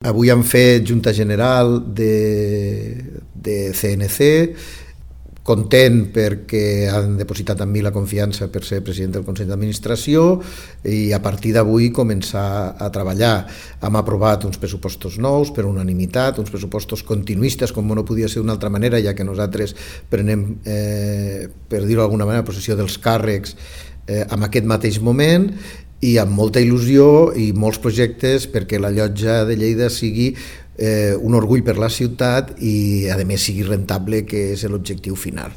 Avui han fet Junta General de CNC, content perquè han depositat en mi la confiança per ser president del Consell d'Administració i a partir d'avui començar a treballar. Hem aprovat uns pressupostos nous per unanimitat, uns pressupostos continuistes, com no podia ser d'una altra manera, ja que nosaltres prenem, per dir-ho d'alguna manera, possessió dels càrrecs en aquest mateix moment, i amb molta il·lusió i molts projectes perquè la Llotja de Lleida sigui un orgull per la ciutat i a més sigui rentable, que és l'objectiu final.